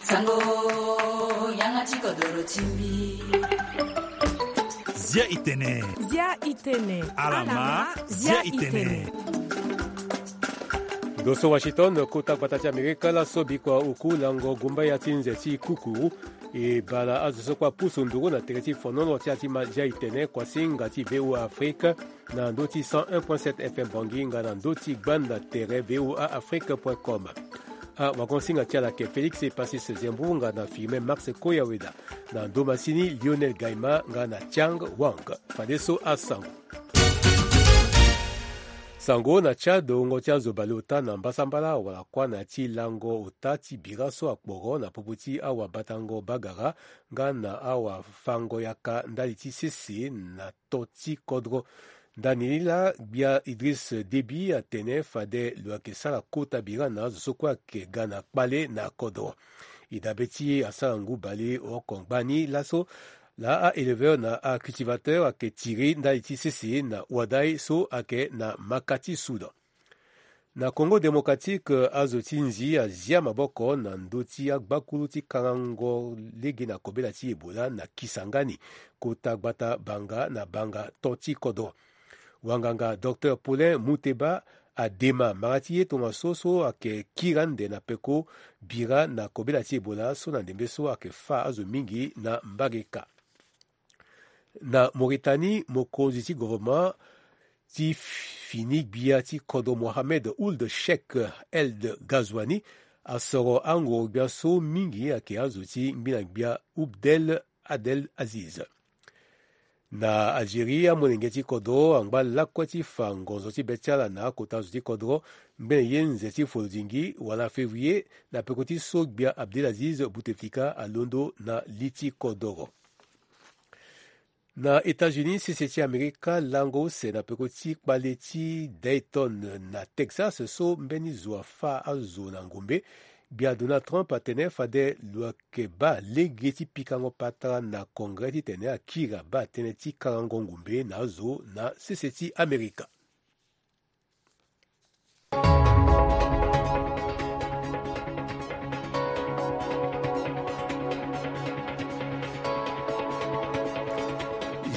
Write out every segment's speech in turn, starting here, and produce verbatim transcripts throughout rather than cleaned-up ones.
Sango, yanga ti kodoro ti mbi. Zia i tene. Zia i tene. Alama, zia i tene. Ndo so Washington, kota gbata ti Amerika, laso bikua oku lango gumbaya ti nze ti kuku. E baa na azo so kue apusu nduru na tere ti fonono ti ala ti ma zia i tene, kuasinga ti V O A Afrique, na ndö ti cent un point sept F M Bangui nga na ndö ti gbanda tere V O A Afrique point com. Awagonsinga ti ala ayeke Félix Epasis Zembu nga na Firmin Max Koyaweda, na ndö masini Lionel Gaima nga na Tiang Wang. Fadeso asango. Sango na Tchad, wungo ti azo baleota na mbasambala wala kuâ na ya ti lango ota ti bira so akporo na popo ti awabatango bagara nga na awafango yaka ndali ti sese na to ti kodro. Ndani ni laa, gbia Idriss Déby atene fade lo yeke sara kota bira na azo so kue ayeke ga na kpale na kodro. E dabe ti asara ngu bale oko ngbani laso, laa a-éleveur na acultivateur ayeke tiri ndali ti sese na wadai so ayeke na maka ti Soudan. Na Congo Démocratique, azo ti nzi azia maboko na ndö ti agbakulu ti karango lege na kobela ti Ebola na Kisangani, kota gbata banga na banga to ti kodro. Wanganga Docteur Paulin Muteba adema mara ti ye tongaso so ayeke kiri ande na peko bira na kobela ti Ebola so na ndembe so ayeke fâ azo mingi na mbage kâ. Na Mauritanie, mokonzi ti gouvernement ti fini gbia ti kodro Mohamed Ould Cheikh El Ghazouani asoro angoro gbia so mingi ayeke azo ti ngbina gbia Ould El Abdel Aziz. Na Algérie, amolenge ti kodro angba lakue ti fa ngonzo ti be ti ala na akota zo ti kodro ngbene ye nze ti folodingi wala février, na peko ti so gbia Abdelaziz Bouteflika alondo na li ti kodoro. Na États-Unis, sese ti Amerika lango use na peko ti kpale ti Dayton na Texas so mbeni zo afâ azo na ngombe. Gbia Donald Trump atene fade lo yeke baa lege ti pikango patara na Congrès titene akiri abaa tënë ti karango ngombe na azo na sese ti Amerika.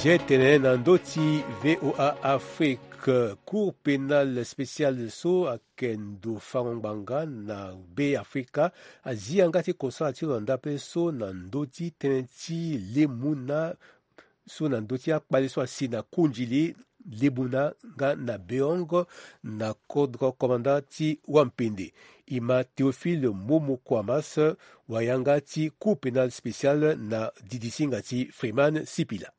Zia e tene na ndö ti V O A Afrique, Cour pénale spéciale so ayeke ndo fango ngbanga na Be Afrika azi yanga ti kosala ti lo na ndapre so na ndö ti tënë ti lemuna so na ndö ti akpale so asi na kundili lemuna nga na beongo na kodro komanda ti wampende. E ma Théophile Momo Kwamas, wayanga ti Cour pénale spéciale na didisinga ti Freeman Sipila.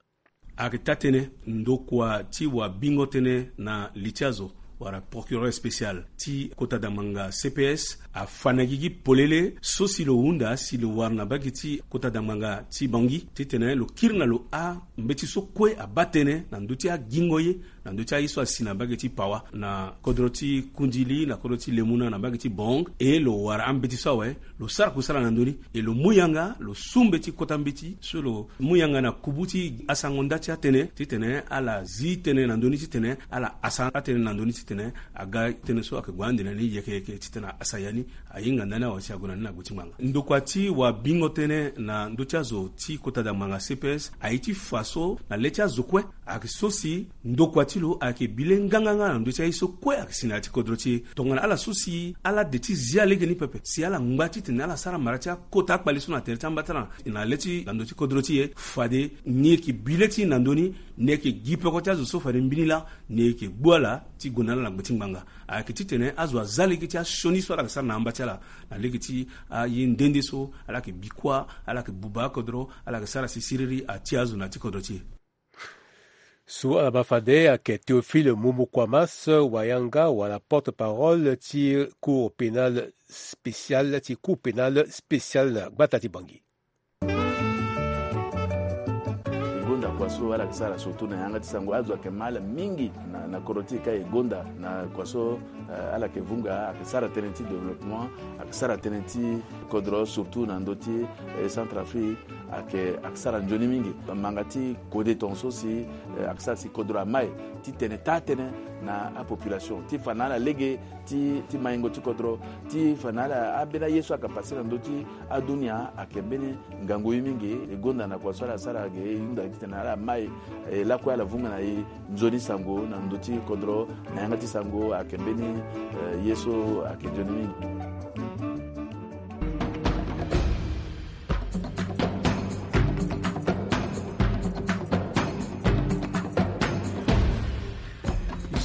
Ayeke taa-tënë ndokua ti wabingo tënë na li ti azo wala procureur spécial ti kota dangbanga C P S afa na gigi polele so si lo hunda si lo wara na mbage ti kota dangbanga ti Bangui titene lo kiri na lo ambeti so kue abaa tënë na ndö ti agingo ye na ndö ti aye so asi na mbage ti Pawa na kodro ti Kundili na kodro ti Lemuna na mbage ti Bong, e lo wara ambeti so awe, lo sara kusala na ndö ni, e lo mu yanga, lo su mbeti kota mbeti so lo mu yanga na kubu ti asango nda ti atënë titene ala zi tënë na ndö ni titene ala hasa atënë na ndö ni titene aga tënë so ayeke gue ande na ni yeke yeke titene ahasa ya ni ahinga ndani awe si ague na ni na gbe ti ngbanga. Ndokua ti wabingo tënë na ndö ti azo ti kota dangbanga C P S aye ti fa so na le ti azo kue ayeke so si ndokua ti lo ayeke bi le nganganga na ndö ti aye so kue ayeke si na ya ti kodro ti e. Tongana ala so si ala de ti zia lege ni pepe si ala ngba titene ala sara mara ti akota akpale so na tere ti amba ti ala na le ti na ndö ti kodro ti e, fade ni yeke bi le ti e na ndö ni, ni yeke gi peko ti azo so fade mbeni laa ni yeke gbu ala ti gue na ala na gbe ti ngbanga. Ayeke titene azo aza lege ti asioni so ala yeke sara na amba ti ala na lege ti aye nde nde so ala yeke bi kuâ, ala yeke buba akodro, ala yeke sara si siriri atia azo na ya ti kodro ti e. So ala baa fade ayeke Théophile Momo Kwamas, wayanga wala porte-parole ti Cour pénale spéciale ti Cour pénale spéciale na gbata ti Bangui. E gonda kua so ala yeke sara surtout na yanga ti sango azo ayeke ma ala mingi na, na kodro ti e ka e gonda na kua so, eh, ala yeke vunga, ayeke sara tënë ti développement, ayeke sara tënë ti kodro surtout na ndö ti, eh, Centrafrique. Ayeke, ayeke sara nzoni mingi. Manga ti kode tongaso si, eh, ayeke sara si kodro amai ti tene taa-tënë na apopulation ti fa na ala lege ti, ti maingo ti kodro, ti fa na ala ambeni aye so ayeke pase na ndö ti adunia. Ayeke mbeni ngangu ye mingi. E gonda na kua so ala sara ayeke e hunda titene ala mai, eh, lakue ala vunga na e nzoni sango na ndö ti kodro. Na yanga ti sango ayeke mbeni, eh, ye so ayeke nzoni mingi.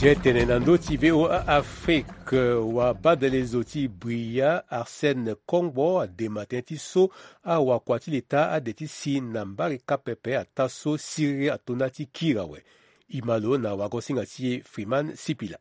Zia tene na ndö ti V O A Afrique, wabadalezo ti Bria Arsène Kongbo adema tënë ti so awakua ti leta ade ti si na mbarika pepe ataa so siriri ato nda ti kiri awe. E ma lo na wagosinga ti e Freeman Sipila.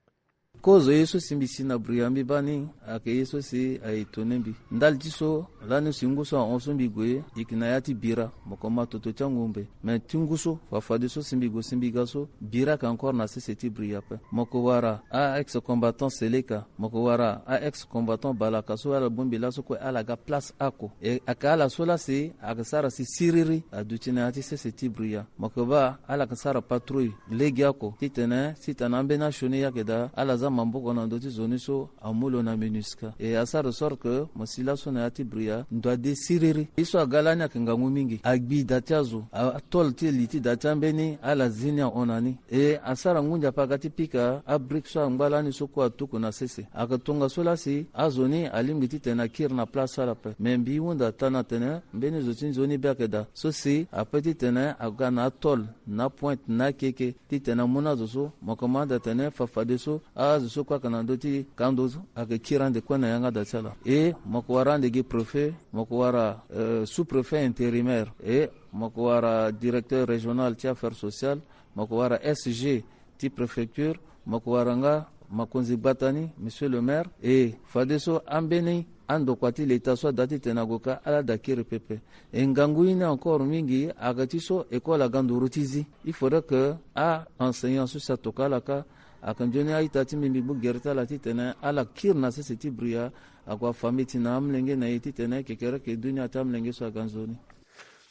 Kozo ye so si mbi si na Bria mbi baa ni ayeke ye so si aye tone mbi. Ndali ti so lani si ngu so ahon so mbi gue, e yeke na ya ti bira, mo ko ma toto ti angumbe. Me ti ngu so, fafadeso si mbi gue si mbi ga so, bira ayeke encore na sese ti Bria ape. Mo ko wara a-ex combattant Seleka, mo ko wara a-ex combattant Balaka so ala bongbi laso kue ala ga place oko. E ayeke ala so laa si ayeke sara si siriri aduti na ya ti sese ti Bria. Mo yeke baa ala yeke sara patrouille legeoko titene si tana ambeni asioni ye ayeke daa, ala za maboko na ndö ti zo ni so amu lo na MINUSCA. E asara de sorte que mo si laso na ya ti Bria ndo ade siriri. Ye so aga lani ayeke ngangu mingi. Agbi da ti azo, a-, atôle ti li ti da ti ambeni ala zi ni ahon na ni. E asara ngu ndia ape aga ti pika abrique so angba lani so kue atuku na sese. Ayeke tongaso laa si azo ni alingbi titene akiri na place so ala ape. Me mbi hunda taa na tene mbeni zo ti nzoni be ayeke daa. So si ape titene aga na atôle, na apointe, na akeke, titene amu na azo so, mo yeke ma anda tene fafadeso azo so kue ayeke na ndö ti kando so ayeke kiri ande kue na yanga da ti ala. E mo yeke wara ande gi préfet, mo yeke wara, euh, sous-préfet intérimaire, e mo yeke wara directeur régional ti affaires sociales, mo yeke wara S G ti préfecture, mo yeke wara nga mokonzi gbata ni, monsieur le maire. E fadeso ambeni andokua ti leta so ada titene ague ka ala da kiri pepe. E ngangu ye ni encore mingi ayeke ti so école aga nduru ti zi. Il faudrait que a-enseignant so si atokua ala ka. Ayeke nzoni a-ita ti mbi, mbi gbu gere ti ala titene ala kiri na sese ti Bria, ague afa mbeti na amolenge na e titene kekereke dunia ti amolenge so aga nzoni.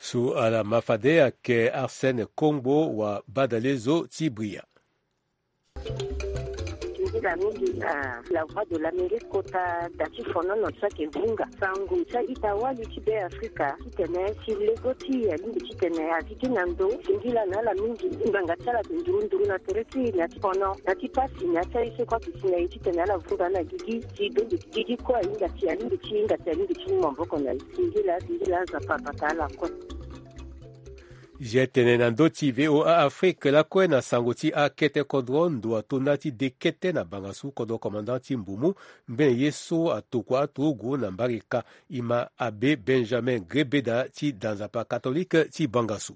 So ala ma fade ayeke Arsène Kongbo, wabadalezo ti Bria. Nzila mingi na La Voix de l'Amérique kota da ti fonono so ayeke vunga sango ti a-ita wali ti Be Afrika titene si lego ti e alingbi titene azi gi na ndo. Singila na ala mingi, ngbanga ti ala ayeke nduru nduru na tere ti e, na ti fono, na ti pasi, na ti aye so kue ayeke si na e titene ala vunga na gigi. Si donde gigi kue ahinga si alingbi ti hinga si alingbi ti mu maboko na e. Singila, singila, Nzapa abata ala kue. Zia tene na ndö ti V O A Afrique lakue na sango ti akete kodro, ndo ato nda ti de kete na bangasu kodro commandant ti Mbumu. Ngbene ye so atokua aturugu na mbarika, e ma abbé Benjamin Grebeda ti da Nzapa catholique ti bangasu.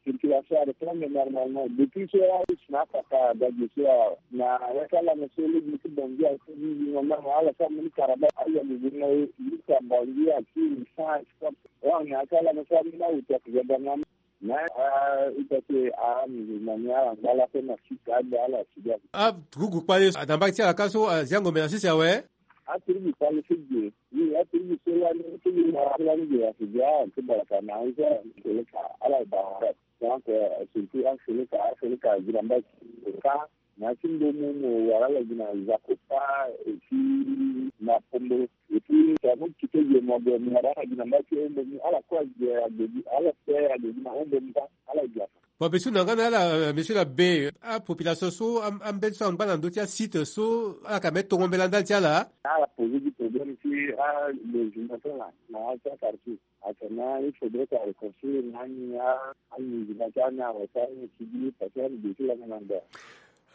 Circulation a reprendre normalement. Depuis so a isi na akaka dage so a na yaka lana so lege ti Bangui a ti di normalement ala sa moni karaba ala lege na ye lista Bangui a ti ni sans escorte. Wani aka ala na so amina uta ti gada na. Na a ita ti a musulman ni ala ngba ala pe na sika ade ala sida. A turugu kpale na mbage ti ala ka so azi angombe na sese awe. A turugu kpale so ge. Wi, a turugu so lani so ge na lani ge a sida a ti baraka na anza seleka ala ba. Donc surtout a seleka a seleka azi na mbage ti ka. Na ya ti mbomu mo wara ala gi na Zakopa, et puis na Pomboro. Et puis tongana mo kite ge mo gue mo wara ala gi na mbage ti mbomu, ala kue ague ague gi, ala kue ague gi na mbomu kâ, ala gi afa. Bon, be so na nga na ala, euh, monsieur l'abbé, apopulation so am-, ambeni so angba na ndö ti asite so ala yeke ambeni tongo mbela ndali ti ala. Ala poser gi problème ti alogement so na, na ya ti aquartier. Atene il faudrait que a reconstruire na ni a, amusulman ti ani awe ti ani ti gi parce que ani ge ti langa na ndo.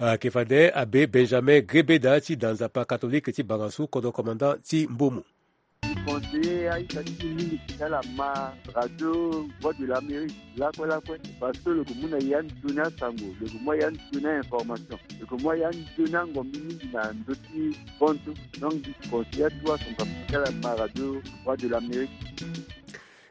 Ayeke fade abbé Benjamin Grebeda ti da Nzapa catholique ti bangasu, kodro commandant ti Mbomu. Conseiller a-ita ti e mingi ti ala ma Radio Voix de l'Amérique lakue lakue, parce que lo yeke mu na e ya nzoni asango, lo yeke mu a ya nzoni a-information, lo yeke mu a ya nzoni angombi mingi na ndö ti konto. Donc mbi conseiller atu asonga ti ala ma Radio Voix de l'Amérique.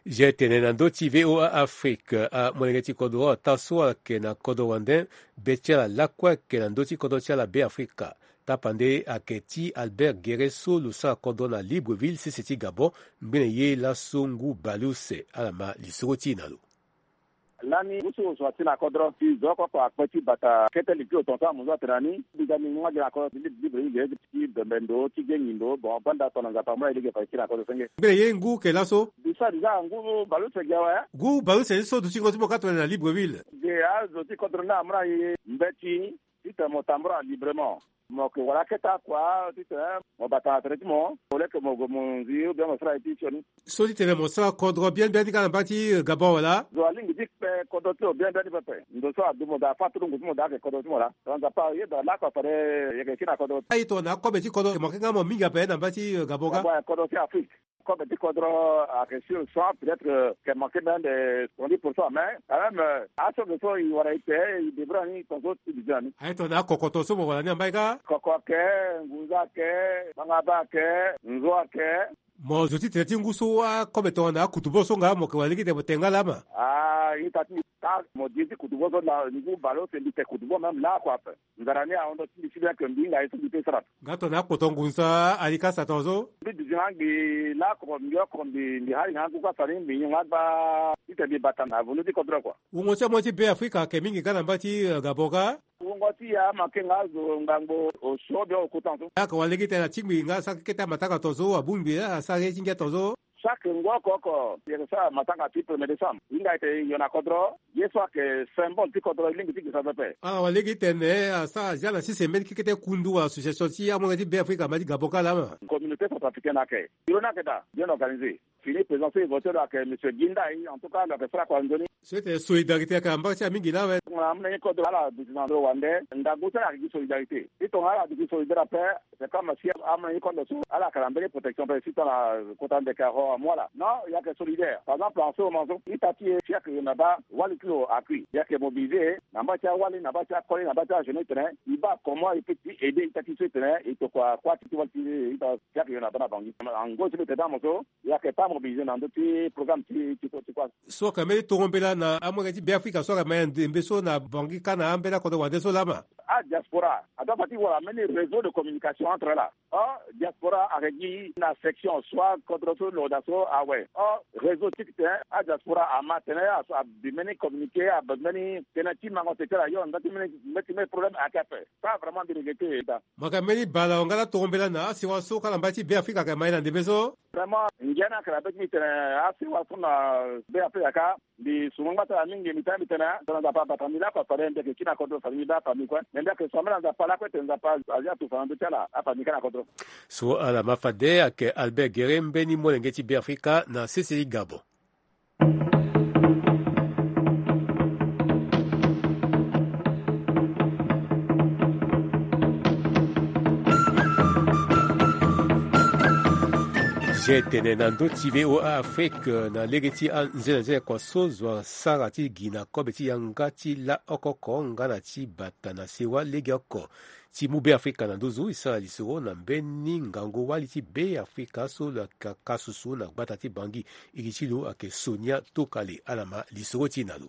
Zia tene na ndö ti V O A Afrique, amolenge ti kodro ataa so ayeke na kodro wande, be ti ala lakue ayeke na ndö ti kodro ti ala Be Afrika. Tapande ayeke ti Albert Guéré so lo sara kodro na Libreville, sese ti Gabon. Ngbene ye laso ngu baleuse. Ala ma lisoro ti e na lo. Lani ngu so zo asi na kodro ti zo oko oko akpe ti bata kete li ti lo tongaso amu zo atene na ni. Biza ni ngu ade na kodro ti Libreville ge ti bembe ndo ti gengi ndo. Bon, banda tongana Nzapa amu na e lege fa e kiri na kodro senge. Ngbene ye ngu ke laso? Bisa déjà ngu baleuse ge awe. Ngu baleuse ni so dutingo ti mo ka tongana na Libreville? Ge azo ti kodro ni amu na e mbeti titene mo tambula librement. Mo yeke wara akete akua titene mo bata na tere ti mo, au lieu que mo gue mo nzi ou bien mo sara ye ti sioni. So titene mo sara kodro bien bien ti ga na mba ti Gabon wala? Zo alingbi ti kpe kodro ti lo bien bien ti pepe. Ndo so adu mo daa fâ tulungu ti mo daa ayeke kodro ti mo laa. Tongana Nzapa ayeda lakue fade e yeke kiri na kodro. Aye tongana akobe ti kodro ayeke manke nga mo mingi ape na mba ti Gabon ga? Gabon ayeke kodro ti Afrique. Kobe ti kodro ayeke sur cent, peut-être que ayeke manqué même de soixante-dix pour cent, mais quand même, euh, aso ge so e wara e te, e débrouille na ni tongaso ti duti na ni. Aye tongana kokoto so mo wara ni na mbai kâ? Koko ayeke, ngunza ayeke, bangaba ayeke, nzo ayeke. Mo zo ti tene ti ngu so akobe tongana akutubo so nga mo yeke wara lege ti tene mo tene nga laa ma? Ah, ita ti ka mo di ti kutubo so laa, ngu baleuse mbi tene kutubo même lakue ape. Nzara ni ahon ndo ti mbi si bien que mbi hinga ye so mbi peut sara. Nga tongana akpoto ngunza alikasa tongaso? Mbi duti na angbi lakue mbi oko mbi, mbi hari na ngu kasa ni mbi hinga gba titene mbi bata na vundu ti kodro kua. Wungo ti amolenge ti Be Afrika ayeke mingi nga na mba ti, eh, Gabon ga? Wungo ti e amanke nga zo ngangu osio bien okuta so. Ayeke wara lege ti tene atingbi nga asara kete amatanga tongaso, abongbi asara ye ti ngia tongaso. Chaque ngu oko oko e yeke sara matanga ti premier décembre. Hinga e tene e yo na kodro, ye so ayeke symbole ti kodro e lingbi ti gisa pepe. Ala wara lege ti tene asara azia na sese mbeni kekete kundu wala association ti amolenge ti Be Afrika na mba ti Gabon kâ laa ma? Communauté centrafricaine ayeke. Bureau ni ayeke daa, bien organisé. Fini président so e voté lo ayeke monsieur Guinda, en tout cas lo yeke sara kua nzoni. So e tene solidarité ayeke na mba ti amingi laa awe. Tongana amolenge ti kodro ala duti na ndo wande, ngangu ti ala ayeke gi solidarité. Ti tongana ala duti solidaire ape, c'est comme si amolenge ti kodro so ala yeke na mbeni protection ape si tongana kota ndeke ahon amu ala. Non, e yeke solidaire. Par exemple, en ce moment so ita ti e si ayeke yonda baa wali ti lo akui. E yeke mobilisé na mba ti awali, na mba ti akoli, na mba ti ajeune ti tene e baa comment e peut ti aider ita ti so ti tene e tokua kuâ ti ti wali ti ita si ayeke yonda baa na Bangui. Ango so mbi tene ti amoso e yeke pas mobilisé na ndö ti programme ti ti kuâ. So ayeke mbeni tongo mbela na amolenge ti Be Afrika so ayeke ma ya ndembe so na Bangui kâ na ambeni akodro wande so laa ma? Adiaspora adoit fa ti wara mbeni réseau de communication entre ala. Or diaspora ayeke gi na section soit kodro so lo daa so awe. Or réseau ti tene adiaspora ama tene aso abi mbeni communiqué, abi mbeni tënë ti mango tene ti ala yo na ndö ti mbeni, mbeni problème ayeke ape. Pas vraiment mbi regretter daa. Mo yeke mbeni bala wangala tongo mbela na asewa so kâ na mba ti Be Afrika ayeke ma ye na ndembe so. Vraiment ngia ni ayeke na be ti mbi tene asewa so na Be Afrika kâ. Mbi sungo ngba ti ala mingi, mbi tene mbi tene tongana Nzapa abata mbi lakue fade mbi yeke kiri na kodro fade mbi baa famille kue. Me mbi yeke so ambeni na Nzapa lakue tene Nzapa azia tufa na ndö ti ala afamille kâ na kodro. So ala ma fade ayeke Albert Guéré, mbeni molenge ti Be Afrika na sese ti Gabon. Zia e tene na ndö ti V O A Afrique na lege ti anzenanzene kua so zo asara ti gi na kobe ti yanga ti la oko oko nga na ti bata na sewa legeoko ti mu Be Afrika na nduzu. E sara lisoro na mbeni ngangu wali ti Be Afrika so lo yeke ka susu na gbata ti Bangui. Iri ti lo ayeke Sonia Tokale. Ala ma lisoro ti e na lo.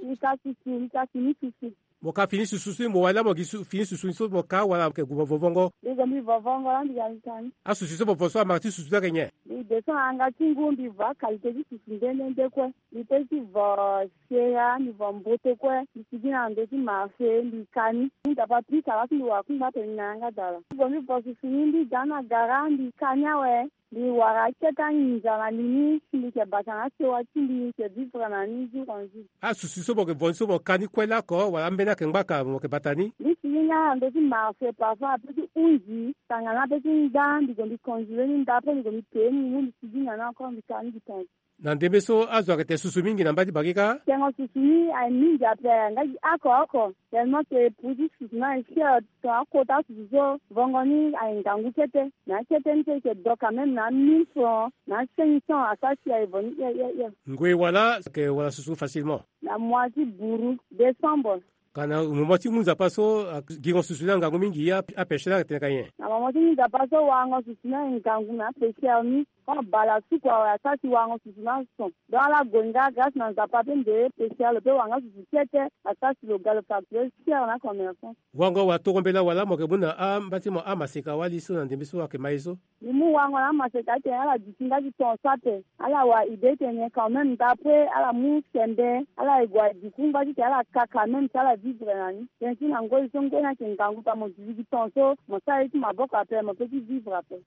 Mbi ka susu, mbi ka fini susu. Mo ka fini susu so mo wali laa mo gi su-, fini susu ni so mo ka wala mo yeke gue mo vovongo? Mbi gue mbi vovongo laa mbi ga mbi ka ni. Asusu so mo vo so amara ti susu ni ayeke nyen? Mbi descend na yanga ti ngu mbi vo aqualité ti susu nde nde nde kue. Mbi peut ti vo sera, mbi vo mbote kue. Mbi sigi na ndo ti marché mbi ka ni. Mbi Nzapa pika laa ti mbi wara kungba tene mbi na yanga daa laa. Mbi gue mbi vo susu ni mbi ga na gara mbi ka ni awe. Mbi wara akete anginza na li ni si mbi yeke bata na asewa ti mbi, mbi yeke vivre na ni jour en jour. Asusu so mo yeke vo ni so mo ka ni kue lako wala ambeni ayeke ngbaka mo yeke bata ni? Mbi sigi nga na ndö ti marché, parfois ape ti hunzi tongana ape ti nda mbi gue mbi congelé ni nda après mbi gue mbi pee ni mu mbi sigi na ni encore mbi ka ni mbi tongaso. Na ndembe so azo ayeke tene susu mingi na mba ti Bangui kâ? Tengo susu ni aye mingi ape nga gi oko oko. Tellement que prix ti susu ni aye cher, tongana akota asusu so vongo ni aye ngangu kete. Na akete ni so e yeke do quand même na mille francs, na cinq cents asara si aye vo ni hie hie hie. Ngoi wala ayeke wara susu facilement? Na mois ti buru, décembre. Ka na moment ti ngu nzapa so, a, gingo susu ni angangu mingi, a, apêcheur ni ayeke tene ka nyen? Na moment ti ngu nzapa so warango susu ni aye ngangu na apêcheur ni. Quand bala suku awe asasi wango susu na son. Donc ala gue nga grâce na Nzapa pe nde ye spécial pe wanga susu kete asasi lo ga lo facturer cher na commerçant. Wango wa toro mbela wala mo ke mu na ambati mo amaseka wali so na ndembe so ake mai so. Ni mu wango na amaseka ate ala duti nga ti ton sa pe. Ala wa idée tene quand même d'après ala mu sembe ala ye gue aduku nga ti ke ala ka quand même ti ala vivre na ni. Tene ti na ngoi so ngoi ni ake ngangu pa mo duti gi ton so mo sara ye ti maboko ape mo pe ti vivre ape.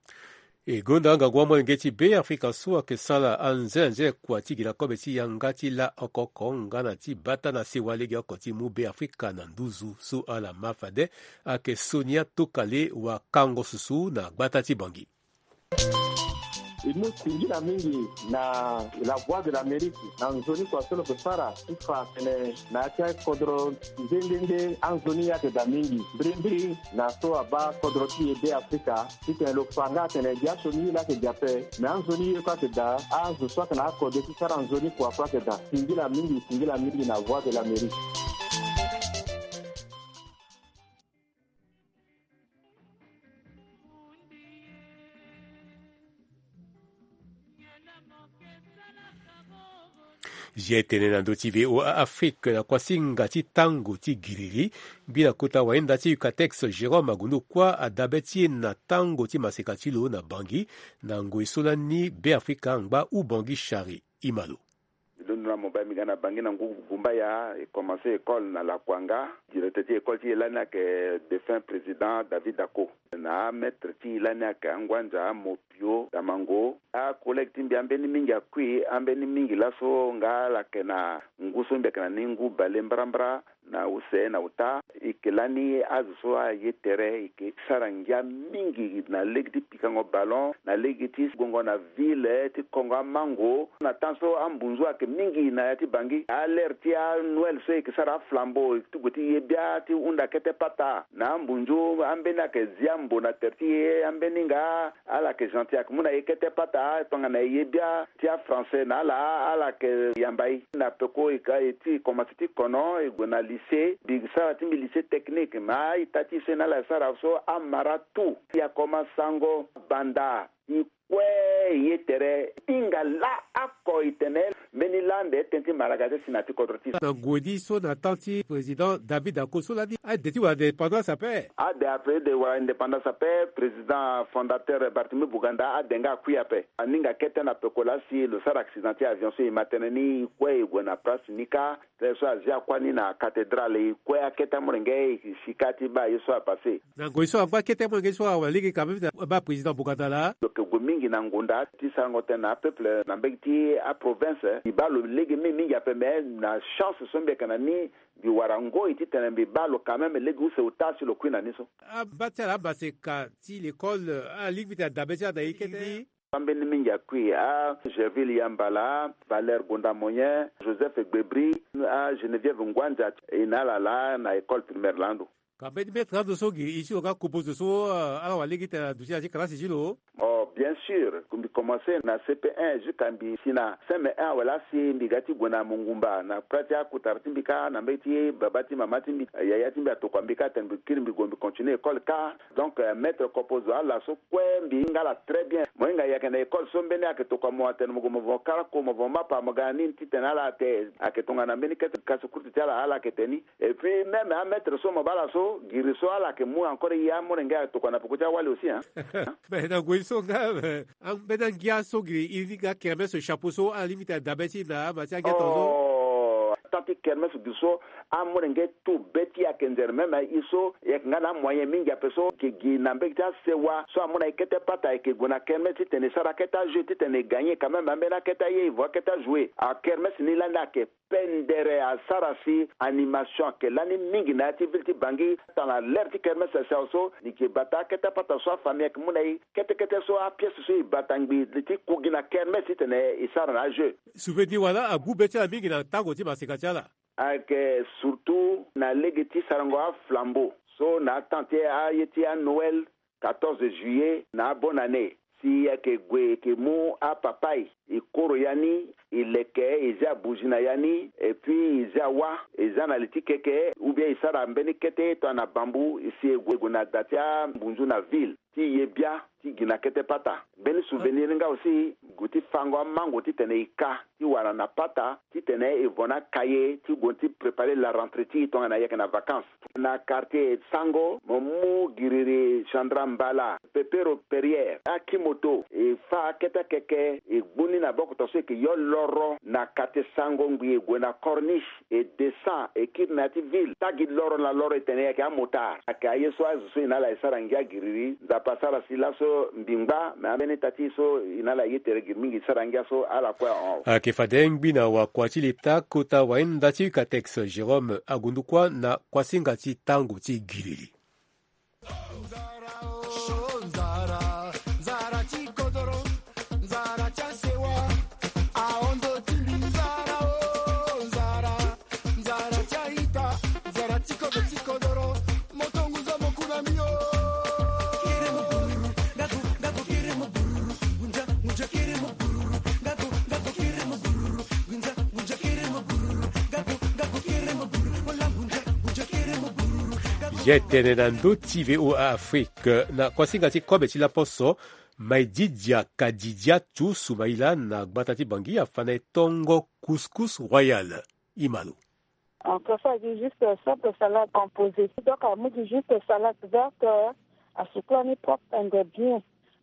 E gonda ngangu amolenge ti Beafrika so ayeke sara anze anze kua ti gi na kobe ti yanga ti la oko oko nga na ti bata na sewa lege oko ti mu Beafrika na nduzu so ala ma fade ayeke Sonia Tokale wakango susu na gbata ti Bangi. E mu singila mingi na La Voix de l'Amérique na nzoni kua so lo yeke sara ti fa tene na ya ti akodro nde nde nde anzoni ye ayeke daa mingi mbirimbiri na so abaa kodro ti e Beafrika. Titene lo fa nga atene biaso ni ye laa ayeke gi ape. Me anzoni ye kue ayeke daa azo so ayeke na akode ti sara nzoni kua kue ayeke daa. Singila mingi singila mingi na Voix de l'Amérique. Zia tene na ndö ti V O A Afrique na kuasinga ti tango ti giriri. Mbi na kota wainda ti Ucatex Jérôme Agondo Kua adabe ti e na tango ti maseka ti lo na Bangi na ngoi so lani Beafrika angba Ubangi Shari Imalo. Mbi londo na mobile mbi ga na Bangi na ngu gumbaya e commencer école na Lakuanga. Directeur ti école ti e lani ayeke défunt président David Dako. Na amaître ti e lani ayeke anguanza Mopio Damango. Acollègue ti mbi ambeni mingi akui ambeni mingi laso nga ala yeke na ngu so mbi yeke na ni ngu bale mbrambra na use na uta. E yeke lani azo so aye tere e yeke sara ngia mingi na lege ti pikango ballon na lege ti gongo na ville ti kongo amango. Na temps so ambunzu ayeke mingi na ya ti Bangi alere ti anoël so e yeke sara aflambeau ti gue ti ye bia ti hunda kete pata na ambunzu ambeni ayeke zi ambo na tere ti e ambeni nga. Ala yeke gentil ayeke mu na e kete pata tongana e ye bia ti afrançais na ala ala yeke yamba e. Na peko e ka e ti e komanse ti kono e gue na lycée mbi sara ti mbi lycée technique me a-ita ti e so e na ala e sara so amara tout. E akomanse sango banda e kue e ye tere e hinga laa oko e tene mbeni laa ande tënë ti malaga ti si na ya ti kodro ti e. Na ngoi ni so na temps ti président David Dako so lani ade ti wara indépendance ape. Ade ape de wara indépendance ape. Président fondateur Barthélemy Boganda ade nga akui ape. Aninga kete na peko laa si lo sara accident ti avion so e ma tënë ni e kue e gue na place ni kâ. Tënë so azia kuâ ni na cathédrale e kue akete amolenge e si kâ ti baa ye so apasse. Na ngoi so angba kete amolenge so awa lege quand même na baa président Boganda laa. Lo yeke gue mingi na ngonda ti sarango tënë na apeuple na mbege ti aprovince. Mbi baa lo lege mingi mingi ape me na chance so mbi yeke na ni mbi wara ngoi titene mbi baa lo quand même lege use ota si lo kui na ni so. Aba ti ala amaseka ti l'école ala lingbi ti adabe ti ala na ye kete ni. Ambeni mingi akui a Gerville Yambala, Valère Gonda Moyen, Joseph Egbebri, a Geneviève Nguanza e na ala laa na école primaire laa ando. Ka mbeni maître ando so giri e ti lo nga kopo zo so ala wara lege tene aduti na ya ti kalasi ti lo. Oh bien sûr mbi commencer na C P un jusqu'à mbi si na C M un awe laa si mbi ga ti gue na mongumba na kpela ti akutara ti mbi kâ na mbege ti baba ti mama ti mbi yaya ti mbi atokua mbi kâ atene mbi kiri mbi gue mbi continuer école kâ. Donc maître kopo zo ala so kue mbi hinga ala très bien. Mo hinga e yeke na école so mbeni ayeke tokua mo atene mo gue mo vongo karako mo vongo mapa mo ga na ni titene ala ate ayeke tongana mbeni kete kasi kurti ti ala ala yeke tene ni. Et puis même amaître so mo baa ala so giri so ala yeke mu encore ye amolenge ayeke tokua na peko ti awali aussi hein. Mais na ngoi so nga ambeni angia so giri e lingbi akermes chapeau so ala lingbi ti adabe ti e na ama ti angia tongaso. Temps ti kermes giri so amolenge tout be ti e ayeke nzere même e so e yeke nga na amoyen mingi ape so e yeke gi na mbege ti asewa so amu na e kete pata e yeke gue na kermes titene e sara akete ajeu titene e gagner quand même ambeni akete aye e vo akete ajouer akermes ni lani ayeke pendere asara si animation ayeke lani mingi na ya ti ville ti Bangi. Tana lere ti kermes si awe so ni yeke bata akete apata so afamille ayeke mu na e kete kete so apièce so e bata ngbi ti ku gi na kermes titene e sara na ajeu. Souvenir wala agu be ti ala mingi na tango ti maseka ti ala. Ayeke surtout na lege ti sarango aflambeau so na atemp ti aye ti anoël quatorze juillet na abonne année si e yeke gue e yeke mu apapa e e koro ya ni e leke e zia bougie na ya ni et puis e zia wâ e zia na li ti keke ou bien e sara mbeni kete tongana bambou si e gue e gue na da ti ambunzu na ville ti ye bia ti gi na kete pata. Mbeni souvenir ni nga aussi, gue ti fango amango titene e ka ti wara na pata titene e vo na kaye ti gue ti préparer la rentrée ti e tongana e yeke na vacances. Na quartier Sango, mo mu giriri Chandra Mbala, Pepero Perrier, akimoto, e fa akete akeke, e gbu ni na boko to so e ke yo loro na quartier Sango ngbi e gue na Corniche, e descend, e kiri na ya ti ville. Tagi loro na loro e tene e yeke amotard. Ayeke aye so azo so e na ala e sara ngia giriri. Nzapa asara si laso mbi ngba, me ambeni ita ti e so e na ala e ye tere giri mingi e sara ngia so ala kue ahon. Ayeke fade ngbi na wakua ti leta kota wahinda ti Catex Jérôme Agundukua na kuasinga ti tango ti giriri. Ye tene na ndö ti V O A Afrique na kuasinga ti kobe ti laposo, Maididia Kadidia Tu Soumaïla na gbata ti Bangui afa na e tongo couscous royal. Imalo. En fait, ça, c'est juste simple salade composée. Donc, amu gi juste salade verte, euh, asukula ni propre and bien.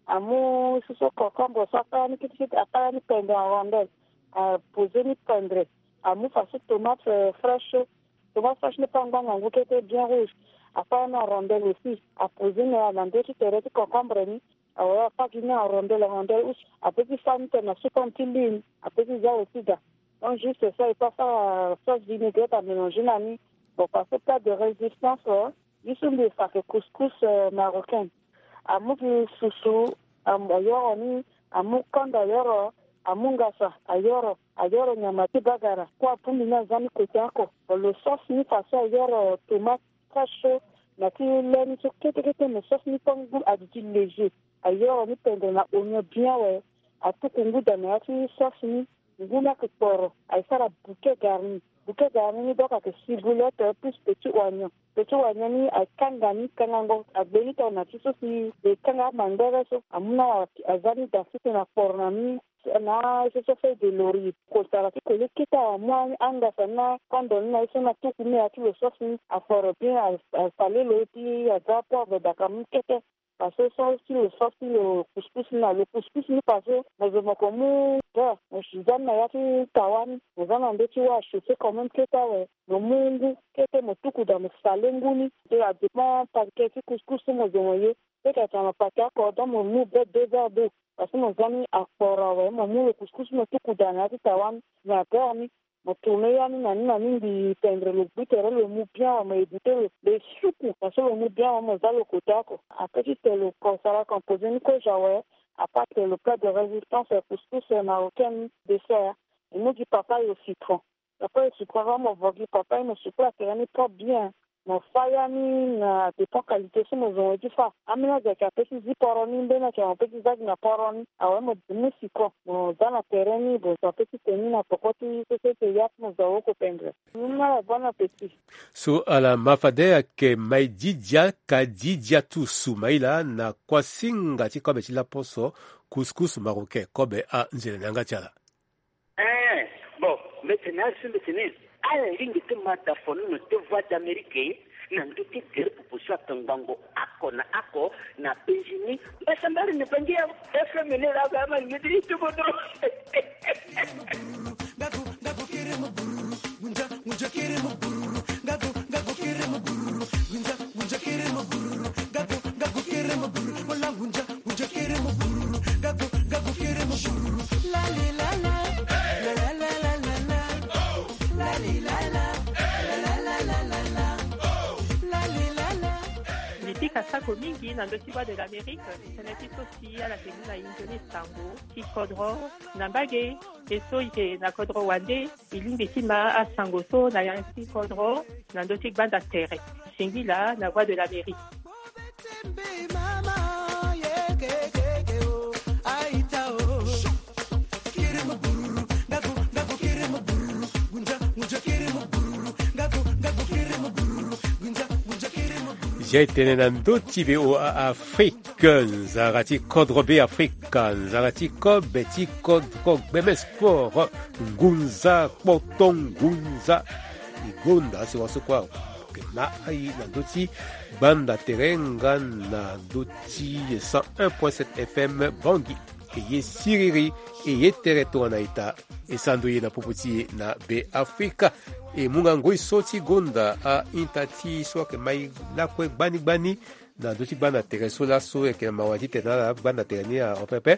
Amu susu concombre so akara ni kitikiti, akara ni pendre en rondelle. Aposer ni pendre. Amu faso tomate, euh, fraîche. Tomate fraîche ni pe angbanga ngu kete bien rouge. Akara ni en rondelle aussi. Aposer ni na ndö ti tere ti concombre ni. Awe, apaki ni en rondelle, en rondelle. Aussi, ape ti fa ni tene na supa ni ti lune. Ape ti za aussi da. Donc, juste ça, il faut faire, euh, sauce vinaigrette à mélanger na ni. Bon, parce que plat de résistance, euh, juste mbi fa que couscous, euh, marocain. Amu gi susu, am-, ayoro ni, amu kanda ayoro, amu ngasa ayoro, ayoro nyama ti bagara. Kua pumbi ni aza ni côté oko. Bon, lo sauce ni façon ayoro tomate, très chaud, na ti le ni so kete kete, mais sauce ni pe ngu adi ti léger. Ayoro ni pendre na oignon bien awe. Atuku ngu da na ya ti sauce ni. Ngu ni ayeke kporo, aye sara bouquet garni. Bouquet garni ni donc ayeke ciboulette plus petit oignon. Petit oignon ni aye kanga ni, kangango agbe ni tongana ti so si e kanga amangbere so. Amu na aza ni da sese na kporo na ni. Na ye so so feuille de laurier. Kosara ti koli kete amu angasa ni na kando ni na ye so na tuku ni na ya ti lo sauce ni. Akporo bien, a, asale lo ti aza poivre daka mu kete. Parce que so ti lo sauce ti lo couscous ni na lo couscous ni parce que mo zo mo ko mu beurre, mo si za ni na ya ti tawa ni, mo za na ndö ti wâ, a chauffer quand même kete awe. Mo mu ngu kete mo tuku da mo sale ngu ni. Te a dépend paquet ti couscous so mo zo mo ye. Peut-être atene paquet oko donc mo mu be deux verres d'eau. Parce que mo za ni akporo awe, mo mu lo couscous mo tuku da na ya ti tawa ni na beurre ni. Mo tourner ya ni na ni na ni, mbi pendre lo gbu tere lo mu bien awe, mo éviter lo, lo suku. Parce que lo mu bien awe, mo za lo côté oko. Après ti tene lo ko sara composé ni kozo awe, à part que lo plat de résistance, couscous marocain, dessert, e mu gi papaye au citron. Papaye au citron, avant mo vo gi papaye, mo sukola tere ni propre bien. Mo fa ya ni na dépend qualité so mo zo mo ye ti fa. Ambeni azo ayeke ape ti zi poro ni, mbeni ayeke mo pe ti za gi na poro ni. Awe mo mu citron, mo za na tere ni, mo zo ape ti tene ni na poko ti so so eke ya ti mo zo awoko pendre. Ni ala, bon appétit. So ala ma fade ayeke Maididia Kadidiatou Soumaïla na kuasinga ti kobe ti laposo, couscous marocain, kobe anzere na yanga ti ala. Eh, bon, mbeti na asu mbeti ni. Ala lingbi ti ma da fono na te Voix d'Amérique na ndö ti gere popo so atongbango oko na oko na penzi ni. Mbasambari ni bangi ya F M ni la ga ma ni ti tubo dro. Mbi pika sako mingi na ndö ti Voix de l'Amérique, tënë ti so si ala yeke mu na e nzoni sango ti kodro na mbage. E so e yeke na kodro wande, e lingbi ti ma asango so na yanga ti kodro na ndö ti gbanda tere. Singila na Voix de l'Amérique. Ye tene na ndö ti VOA Afrique, nzara ti kodro Be Afrika, nzara ti kobe ti kodro gbeme sport, ngunza kpoto ngunza. E gonda si waso kue ayeke ma aye na ndö ti gbanda tere nga na ndö ti cent un point sept F M Bangui. E ye siriri, e ye tere tongana ita, e sando ye na popo ti e na Be Afrika. E mu nga ngoi so ti gonda a-ita ti e so ayeke ma e lakue gbani gbani na ndö ti gbanda tere so laso e yeke na mawa ti tene na ala gbanda tere ni ahon pepe.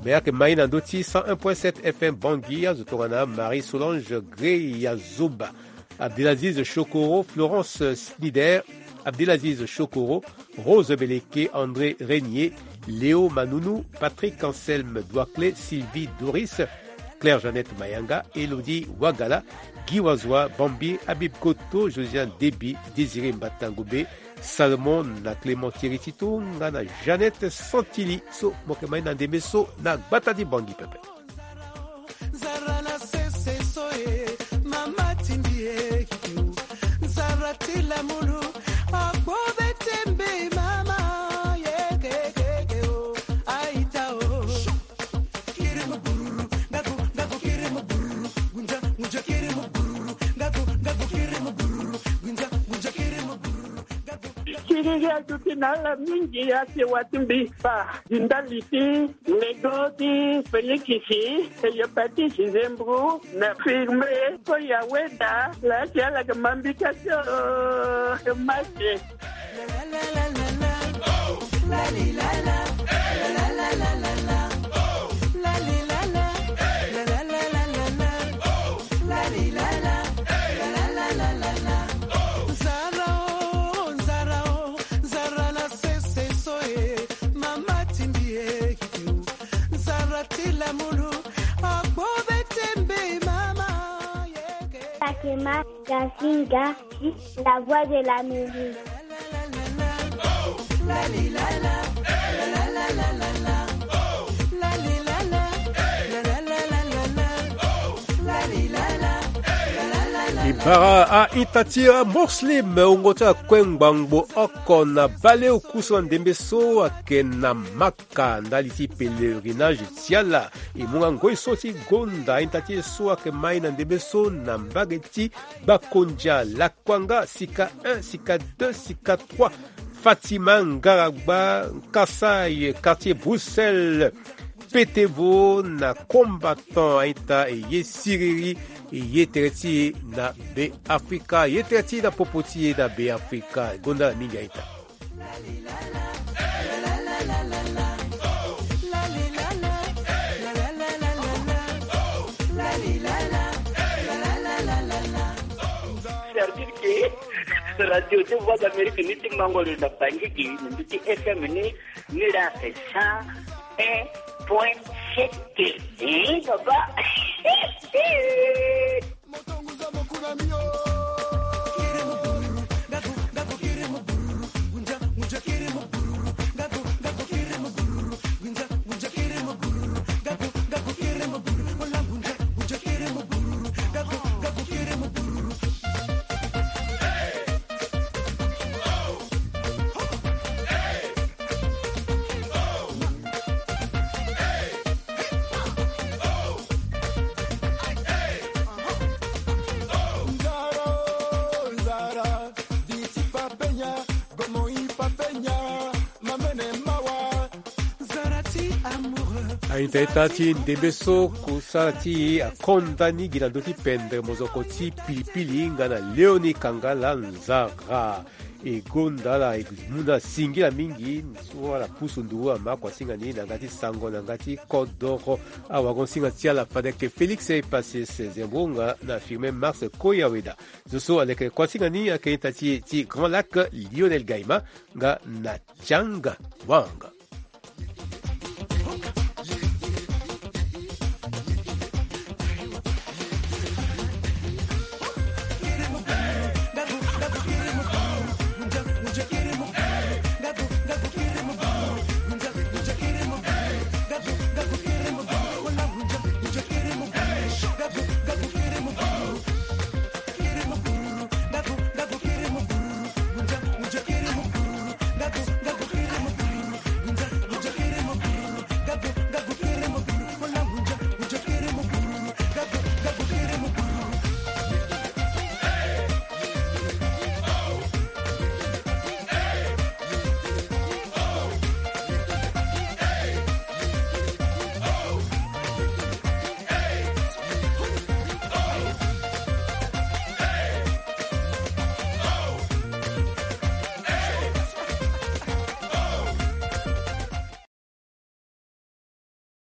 Me ayeke ma e na ndö ti cent un point sept F M Bangui, azo tongana Marie Solange Grey Azoba, Abdelaziz Chokoro, Florence Snider, Abdelaziz Chokoro, Rose Beleke, André Régnier, Léo Manounou, Patrick Anselme Douaclé, Sylvie Doris, Claire Jeannette Mayanga, Elodie Wagala, Guy Wazoa, Bambi, Habib Koto, Josiane Déby, Désiré Mbatangobe, Salomon na Clément Thierry Tito nga na Jeannette Santili, so mo yeke ma e na ndembe so na gbata ti Bangui pepe. Nzara na sese so e, mama timbi e kiki o. Nzara ti lamulu, agbo be tembe mama, ye kekeke o, aita o. Kiri mo bururu, ngago, ngago kiri mo bururu, gunja, gunja kiri mo bururu, ngago, ngago kiri mo bururu, gunja, gunja kiri mo bururu, ngago. Kiri ya duti na ala mingi ya si wa timbi pa. Di ndali ti lego ti Félix, Hépatite, Zembrou na Firme, Koya Weda, la ti ala ke mambi ka ti, oh, Mase. Nzara o, nzara o, nzara na sese so e, mama timbi e kiki o. Nzara ti lamulu, agbo be tembe mama yeke. Fatima Gasinga, la voix de l'Amérique. E bara a-ita ti aMuslim, wungo ti akue ngbangbo oko na baleoku so na ndembe so ayeke na Maka ndali ti pèlerinage ti ala. E mu nga ngoi so ti gonda a-ita ti e so ayeke ma e na ndembe so na mbage ti Bakondia, Lakuanga, Sika un, Sika deux, Sika trois, Fatima Ngaragba, Kasaï, quartier Bruxelles, Petevo na Combattant, a-ita e ye siriri, e ye tere ti e na Be Afrika, e ye tere ti e na popo ti e na Be Afrika, e gonda ala mingi a-ita. Service ke radio ti Voix d'Amérique ni ti mango lo na Bangui gi na ndö ti F M ni, ni la cent un point sept. Eh, papa. A-ita, ita ti ndembe so kusala ti e akonda ni gi na ndö ti pendre mozoko ti pilipili nga na Léonie Kangala Nzara. E gonda ala, e mu na singila mingi so ala pusu ndu ama kuasinga ni na nga ti sango na nga ti kodoro. Awagon-singa ti ala fade ayeke Félix Epasses Zembo nga na Firmin Mars Koyaweda. Zo so aleke kuasinga ni ayeke ita ti e ti Grand Lac, Lionel Gaïma nga na Chang Wang.